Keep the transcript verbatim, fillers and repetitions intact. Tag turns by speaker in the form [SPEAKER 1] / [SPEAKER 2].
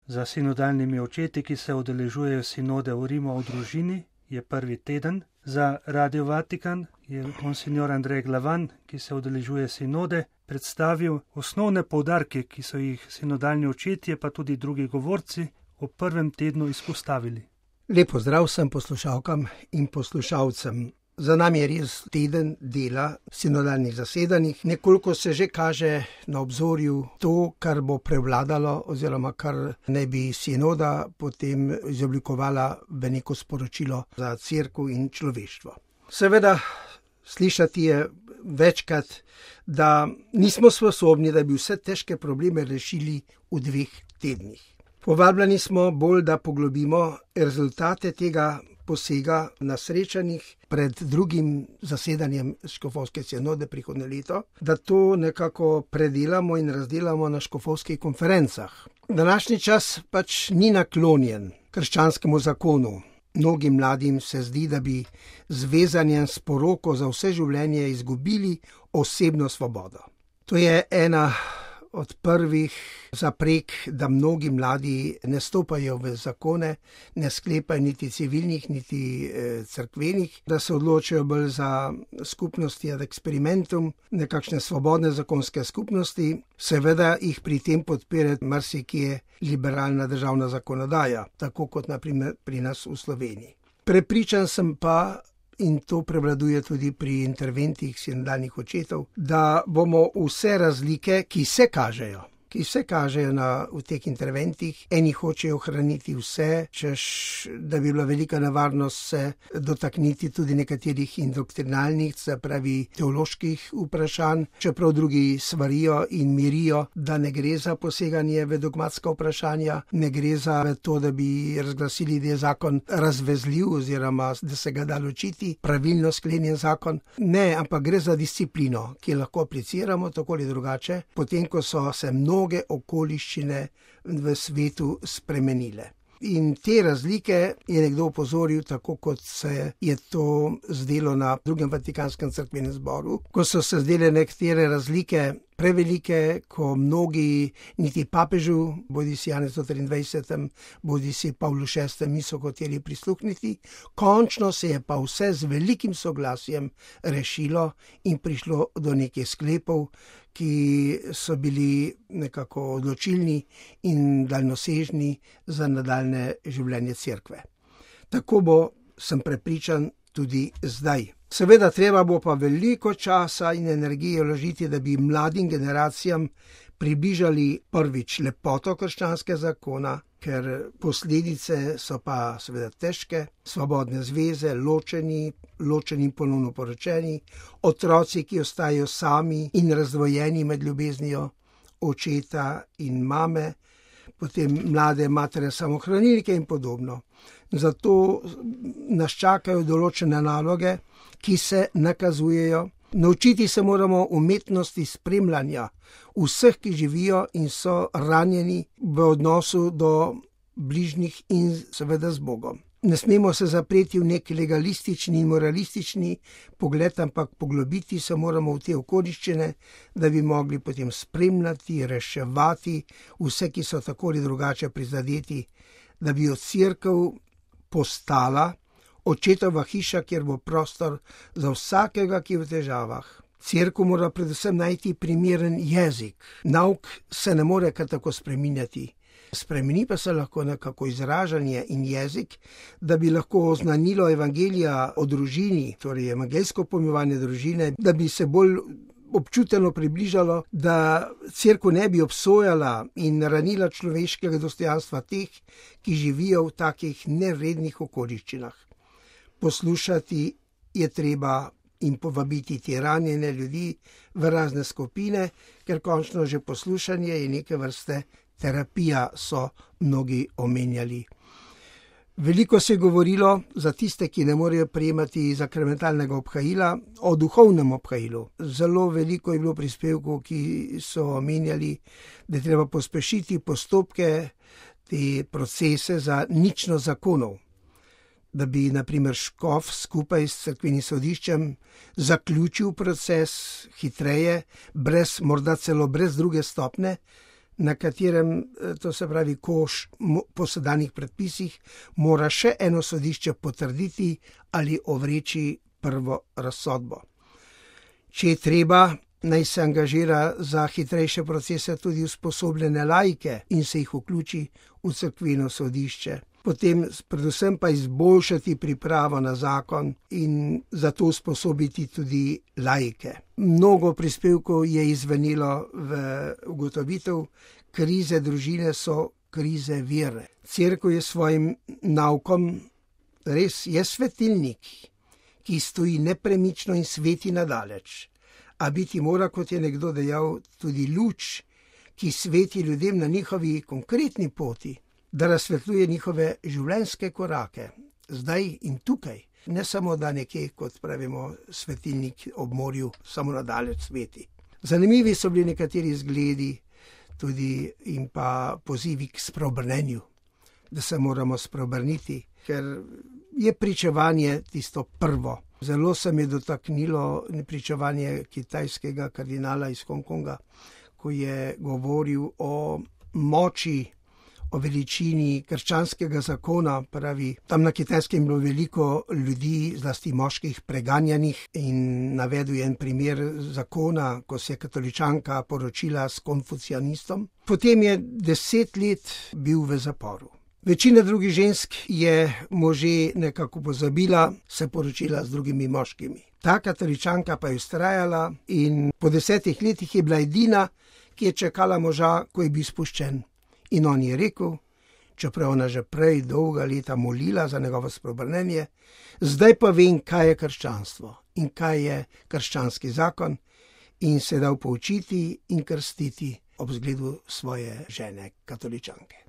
[SPEAKER 1] Za sinodalnimi očeti, ki se udeležujejo sinode v Rimu o družini, je prvi teden. Za Radio Vatikan je monsignor Andrej Glavan, ki se udeležuje sinode, predstavil osnovne poudarke, ki so jih sinodalni očetje, pa tudi drugi govorci, v prvem tednu izpostavili.
[SPEAKER 2] Lep pozdrav vsem poslušalkam in poslušalcem. Za nami je res teden dela sinodalnih zasedanjih. Nekoliko se že kaže na obzorju to, kar bo prevladalo oziroma kar naj bi sinoda potem izoblikovala v neko sporočilo za cerkev in človeštvo. Seveda, slišati je večkrat, da nismo sposobni, da bi vse težke probleme rešili v dveh tednih. Povabljeni smo bolj, da poglobimo rezultate tega posega na srečanjih pred drugim zasedanjem škofovske sinode prihodnje leto, da to nekako predelamo in razdelamo na škofovskih konferencah. Današnji čas pač ni naklonjen krščanskemu zakonu. Mnogim mladim se zdi, da bi z vezanjem s poroko za vse življenje izgubili osebno svobodo. To je ena od prvih zaprek, da mnogi mladi ne stopajo v zakone, ne sklepajo niti civilnih, niti eh, cerkvenih, da se odločajo bolj za skupnosti ad experimentum, nekakšne svobodne zakonske skupnosti, seveda jih pri tem podpira marsikje liberalna državna zakonodaja, tako kot na primer pri nas v Sloveniji. Prepričan sem pa, in to prevladuje tudi pri interventih sinodalnih očetov, da bomo vse razlike, ki se kažejo, ki se kažejo na, v teh interventih, eni hočejo ohraniti vse, češ, da bi bila velika nevarnost se dotakniti tudi nekaterih indoktrinalnih, se pravi teoloških vprašanj, čeprav drugi svarijo in mirijo, da ne gre za poseganje v dogmatska vprašanja, ne gre za to, da bi razglasili, da je zakon razvezljiv oziroma da se ga da ločiti, pravilno sklenjen zakon. Ne, ampak gre za disciplino, ki lahko apliciramo tako ali drugače, potem ko so se mnogo mnoge okoliščine v svetu spremenile. In te razlike je nekdo opozoril, tako kot se je to zdelo na drugem Vatikanskem cerkvenem zboru, ko so se zdele nekatere razlike prevelike, ko mnogi niti papežu, bodi si Janezu triindvajsetemu, bodi si Pavlu šestemu niso hoteli prisluhniti. Končno se je pa vse z velikim soglasjem rešilo in prišlo do nekih sklepov, ki so bili nekako odločilni in daljnosežni za nadaljne življenje cerkve. Tako bo, sem prepričan, tudi zdaj. Seveda treba bo pa veliko časa in energije vložiti, da bi mladim generacijam približali prvič lepoto krščanskega zakona, ker posledice so pa seveda težke, svobodne zveze, ločeni, ločeni ponovno poročeni, otroci, ki ostajajo sami in razdvojeni med ljubeznijo očeta in mame, potem mlade matere samohranilke in podobno. Zato nas čakajo določene naloge, ki se nakazujejo. Naučiti se moramo umetnosti spremljanja vseh, ki živijo in so ranjeni v odnosu do bližnjih in seveda z Bogom. Ne smemo se zapreti v nek legalistični in moralistični pogled, ampak poglobiti se moramo v te okoliščine, da bi mogli potem spremljati, reševati vse, ki so tako ali drugače prizadeti, da bi od cerkev postala očetova hiša, kjer bo prostor za vsakega, ki je v težavah. Cerkev mora predvsem najti primeren jezik. Nauk se ne more kar tako spreminjati. Spremeni pa se lahko nekako izražanje in jezik, da bi lahko oznanilo evangelija o družini, torej evangeljsko pojmovanje družine, da bi se bolj občuteno približalo, da cerkev ne bi obsojala in ranila človeškega dostojanstva teh, ki živijo v takih nerednih okoliščinah. Poslušati je treba in povabiti te ranjene ljudi v razne skupine, ker končno že poslušanje je neke vrste terapija, so mnogi omenjali. Veliko se je govorilo za tiste, ki ne morejo prejemati sakramentalnega obhajila, o duhovnem obhajilu. Zelo veliko je bilo prispevkov, ki so omenjali, da je treba pospešiti postopke, te procese za ničnost zakonov. Da bi, na primer, škof skupaj s cerkvenim sodiščem zaključil proces hitreje, brez, morda celo brez druge stopne, na katerem, to se pravi koš po sedanjih predpisih, mora še eno sodišče potrditi ali ovreči prvo razsodbo. Če je treba, naj se angažira za hitrejše procese tudi usposobljene laike in se jih vključi v cerkveno sodišče. Potem predvsem pa izboljšati pripravo na zakon in zato usposobiti tudi laike. Mnogo prispevkov je izvenilo v ugotovitev, krize družine so krize vere. Cerkev je svojim naukom res je svetilnik, ki stoji nepremično in sveti nadaleč. A biti mora, kot je nekdo dejal, tudi luč, ki sveti ljudem na njihovi konkretni poti, da razsvetljuje njihove življenjske korake, zdaj in tukaj. Ne samo, da nekje, kot pravimo, svetilnik ob morju, samo nadaleč sveti. Zanimivi so bili nekateri zgledi tudi in pa pozivi k spreobrnenju, da se moramo spreobrniti, ker je pričevanje tisto prvo. Zelo se mi je dotaknilo pričevanje kitajskega kardinala iz Hongkonga, ko je govoril o moči, o veličini krščanskega zakona, pravi, tam na Kitajskem je bilo veliko ljudi, zlasti moških, preganjanih in navedel je en primer zakona, ko se je katoličanka poročila s konfucianistom. Potem je deset let bil v zaporu. Večina drugih žensk je može nekako pozabila, se poročila z drugimi moškimi. Ta katoličanka pa je vztrajala in po desetih letih je bila edina, ki je čakala moža, ko je bil spuščen. In on je rekel, čeprav ona že prej dolga leta molila za njegovo spreobrnenje, zdaj pa vem, kaj je krščanstvo in kaj je krščanski zakon, in se dal poučiti in krstiti ob zgledu svoje žene katoličanke.